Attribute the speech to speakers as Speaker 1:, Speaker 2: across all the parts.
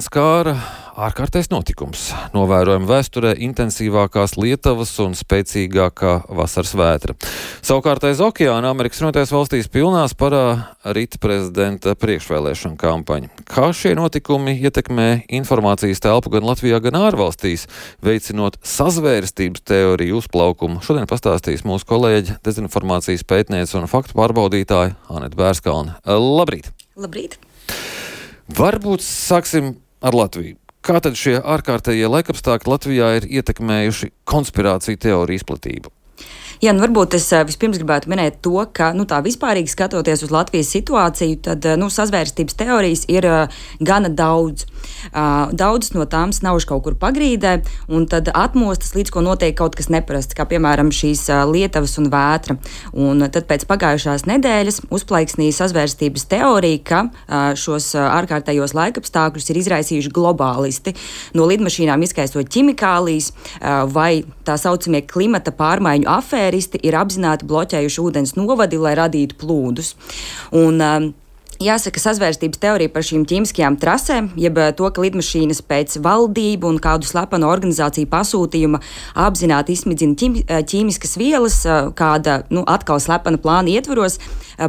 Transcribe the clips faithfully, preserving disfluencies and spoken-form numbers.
Speaker 1: Skāra ārkārtais notikums. Novērojama vēsturē intensīvākās lietavas un spēcīgākā vasaras vētra. Savukārt aiz okeāna Amerikas Savienotajās valstīs pilnā sparā rita prezidenta priekšvēlēšana kampaņa. Kā šie notikumi ietekmē informācijas telpu gan Latvijā, gan ārvalstīs, veicinot sazvērstības teoriju uzplaukumu? Šodien pastāstīs mūsu kolēģi, dezinformācijas pētniece un faktu pārbaudītāja Aneta Bērskalne. Labrīt!
Speaker 2: Labrīt!
Speaker 1: Varbūt sāksim ar Latviju. Kā tad šie ārkārtējie laikapstākļi Latvijā ir ietekmējuši konspirāciju teoriju izplatību?
Speaker 2: Jā, nu varbūt es vispirms gribētu minēt to, ka nu, tā vispārīgi skatoties uz Latvijas situāciju, tad nu, sazvērstības teorijas ir uh, gana daudz. Uh, daudzas no tām snauž kaut kur pagrīdē, un tad atmostas, līdz ko notiek kaut kas neparasts, kā piemēram šīs uh, lietavas un vētra. Un tad pēc pagājušās nedēļas uzplaiksnīja sazvērstības teorija, ka uh, šos uh, ārkārtējos laikapstākļus ir izraisījuši globālisti, no lidmašīnām izkaisot ķimikālijas uh, vai tā saucamie klimata pārmaiņu afēri ir apzināti bloķējuši ūdens novadi, lai radītu plūdus. Un, um, Jāsaka, sazvērstības teorija par šīm ķīmiskajām trasēm, jeb to, ka lidmašīnas pēc valdību un kādu slepenu organizāciju pasūtījuma apzināti izsmidzina ķim, ķīmiskas vielas, kāda nu, atkal slepena plāna ietvaros,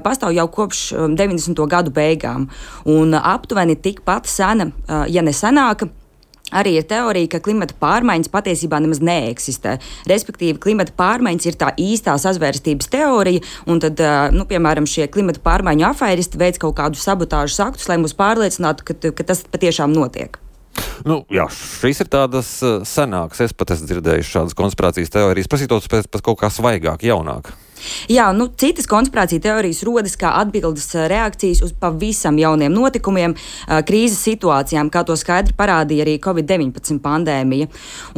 Speaker 2: pastāv jau kopš deviņdesmito gadu beigām. Un aptuveni tikpat sena, ja ne senāka, arī ir teorija, ka klimata pārmaiņas patiesībā nemaz neeksistē. Respektīvi, klimata pārmaiņas ir tā īstā sazvērstības teorija, un tad, nu, piemēram, šie klimata pārmaiņu afēristi veic kaut kādus sabotāžas aktus, lai mūs pārliecinātu, ka, ka tas patiešām notiek.
Speaker 1: Nu, jā, šīs ir tādas senākas. Es pat esmu dzirdējuši šādas konspirācijas teorijas, prasītos pēc, pēc kaut kā svaigāk, jaunāk.
Speaker 2: Jā, nu, citas konspirācija teorijas rodas kā atbildes reakcijas uz pavisam jauniem notikumiem, krīzes situācijām, kā to skaidri parādīja arī covid deviņpadsmit pandēmija.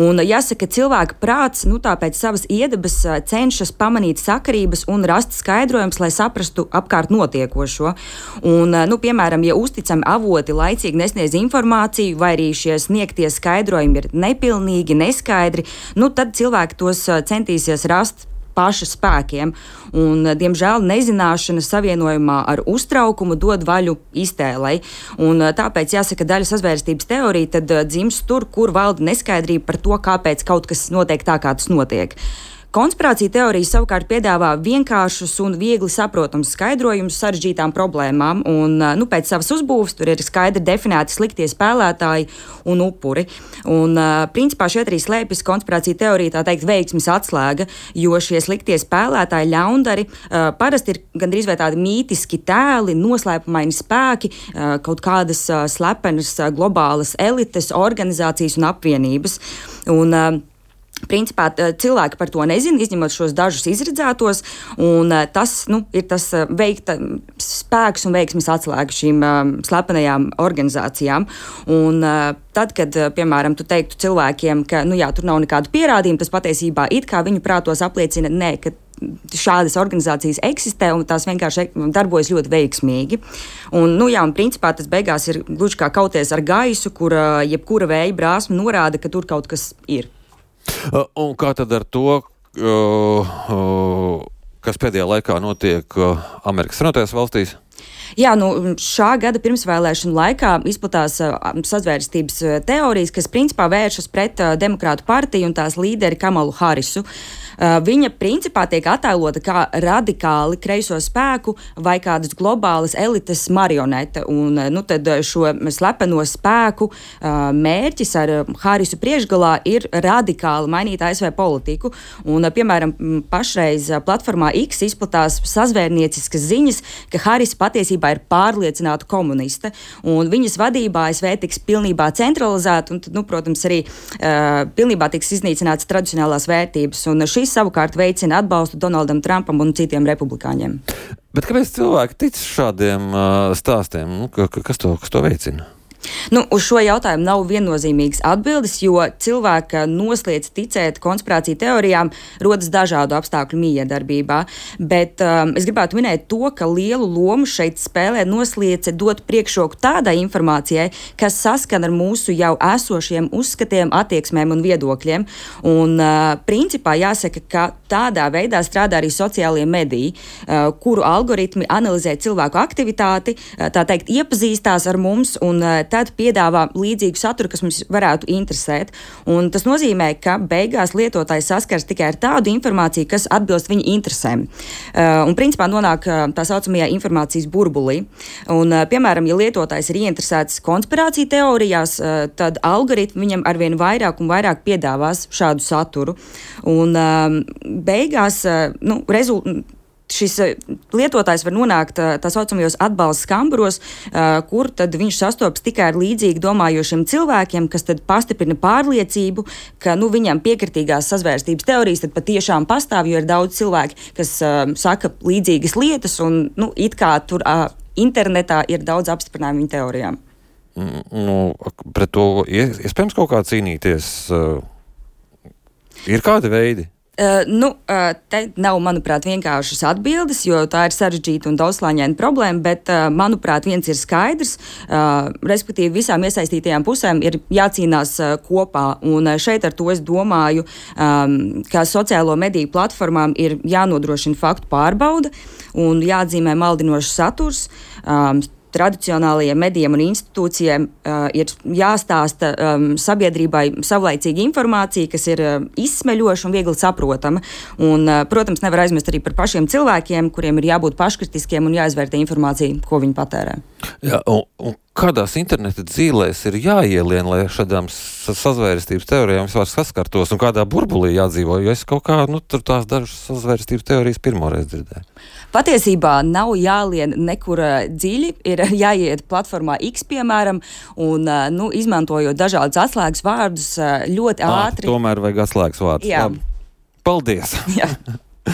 Speaker 2: Un jāsaka, cilvēka prāts, nu, tā pēc savas iedabas cenšas pamanīt sakarības un rast skaidrojums, lai saprastu apkārt notiekošo. Un, nu, piemēram, ja uzticami avoti laicīgi nesniedz informāciju, vai arī šie sniegtie skaidrojumi ir nepilnīgi, neskaidri, nu, tad cilvēki tos centīsies rast paša spēkiem, un, diemžēl, nezināšana savienojumā ar uztraukumu dod vaļu iztēlei, un tāpēc, jāsaka, daļa sazvērstības teorija tad dzimst tur, kur valda neskaidrība par to, kāpēc kaut kas notiek tā, kā tas notiek. Konspirācija teorija savukārt piedāvā vienkāršus un viegli saprotams skaidrojumus sarežģītām problēmām, un nu, pēc savas uzbūves tur ir skaidri definēti sliktie spēlētāji un upuri. Un, principā šeit arī slēpjas konspirācija teorija, tā teikt, veiksmes atslēga, jo šie sliktie spēlētāji, ļaundari, parasti ir gandrīz vai tādi mītiski tēli, noslēpumaini spēki, kaut kādas slepenas globālas elites, organizācijas un apvienības. Un, Principā cilvēki par to nezina, izņemot šos dažus izredzētos, un tas nu, ir tas veikta spēks un veiksmes atslēga šīm um, slepenajām organizācijām. Un uh, tad, kad, piemēram, tu teiktu cilvēkiem, ka nu, jā, tur nav nekādu pierādījumu, tas patiesībā it kā viņu prātos apliecina, nē, ka šādas organizācijas eksistē un tās vienkārši darbojas ļoti veiksmīgi. Un, nu, jā, un principā tas beigās ir gluži kā kauties ar gaisu, kur uh, jebkura vēja brāzma norāda, ka tur kaut kas ir.
Speaker 1: Un kā tad ar to, kas pēdējā laikā notiek Amerikas Savienotajās valstīs?
Speaker 2: Jā, nu, šā gada pirmsvēlēšanu laikā izplatās uh, sazvērstības uh, teorijas, kas principā vēršas pret uh, Demokrātu partiju un tās līderi Kamalu Harisu. Uh, viņa principā tiek attēlota kā radikāli kreiso spēku vai kādas globālas elites marionete. Un, uh, nu, tad šo slepeno spēku uh, mērķis ar uh, Harisu priekšgalā ir radikāli mainīt A S V politiku. Un, uh, piemēram, pašreiz uh, platformā X izplatās sazvērnieciskas ziņas, ka Haris patiesībā ir pārliecināta komuniste, un viņas vadībā A S V tiks pilnībā centralizēta, un tad, nu, protams, arī uh, pilnībā tiks iznīcinātas tradicionālās vērtības. Un šīs savukārt veicina atbalstu Donaldam Trumpam un citiem republikāņiem.
Speaker 1: Bet kāpēc cilvēki tic šādiem uh, stāstiem? Nu, kas, to, kas to veicina?
Speaker 2: Nu, uz šo jautājumu nav viennozīmīgas atbildes, jo cilvēka nosliec ticēt konspirāciju teorijām rodas dažādu apstākļu miedarbībā. Bet um, es gribētu minēt to, ka lielu lomu šeit spēlē nosliece dot priekšroku tādai informācijai, kas saskan ar mūsu jau esošiem uzskatiem, attieksmēm un viedokļiem. Un uh, principā jāsaka, ka tādā veidā strādā arī sociālie mediji, uh, kuru algoritmi analizē cilvēku aktivitāti, uh, tā teikt, iepazīstās ar mums un uh, tad piedāvā līdzīgu saturu, kas mums varētu interesēt. Un tas nozīmē, ka beigās lietotājs saskars tikai ar tādu informāciju, kas atbilst viņa interesēm. Uh, un principā nonāk uh, tā saucamajā informācijas burbulī. Un, uh, piemēram, ja lietotājs ir ieinteresēts konspirāciju teorijās, uh, tad algoritmi viņam arvien vairāk un vairāk piedāvās šādu saturu. Un uh, beigās uh, nu, rezultāts. Šis lietotājs var nonākt tā saucamajos atbalsta skamburos, kur tad viņš sastopas tikai ar līdzīgi domājošiem cilvēkiem, kas tad pastiprina pārliecību, ka nu, viņam piekritīgās sazvērstības teorijas tad patiešām pastāv, jo ir daudz cilvēki, kas uh, saka līdzīgas lietas, un nu, it kā tur uh, internetā ir daudz apstiprinājumu viņa teorijām.
Speaker 1: Nu, pret to iespējams kaut kā cīnīties. Ir kādi veidi?
Speaker 2: Uh, nu, uh, te nav, manuprāt, vienkāršas atbildes, jo tā ir sarežģīta un daudzslāņaina problēma, bet, uh, manuprāt, viens ir skaidrs, uh, respektīvi visām iesaistītajām pusēm ir jācīnās uh, kopā, un uh, šeit ar to es domāju, um, ka sociālo mediju platformām ir jānodrošina faktu pārbauda un jāatzīmē maldinošs saturs. Um, Tradicionālajiem medijiem un institūcijiem uh, ir jāstāsta um, sabiedrībai savlaicīga informācija, kas ir uh, izsmeļoša un viegli saprotama. Un, uh, protams, nevar aizmirst arī par pašiem cilvēkiem, kuriem ir jābūt paškritiskiem un jāizvērtē informācija, ko viņi patērē.
Speaker 1: Jā, un, un kādās interneta dzīlēs ir jāielien, lai šādām sazvērstības teorijām vispār saskartos, un kādā burbulī jādzīvo, jo es kaut kā, nu, tur tās dažas sazvērstības teorijas pirmoreiz dzirdēju.
Speaker 2: Patiesībā nav jālien nekur dziļi, ir jāiet platformā X, piemēram, un, nu, izmantojot dažādus atslēgas vārdus ļoti ātri.
Speaker 1: Ah, tomēr vajag atslēgas vārdus.
Speaker 2: Jā.
Speaker 1: Paldies!
Speaker 2: Jā.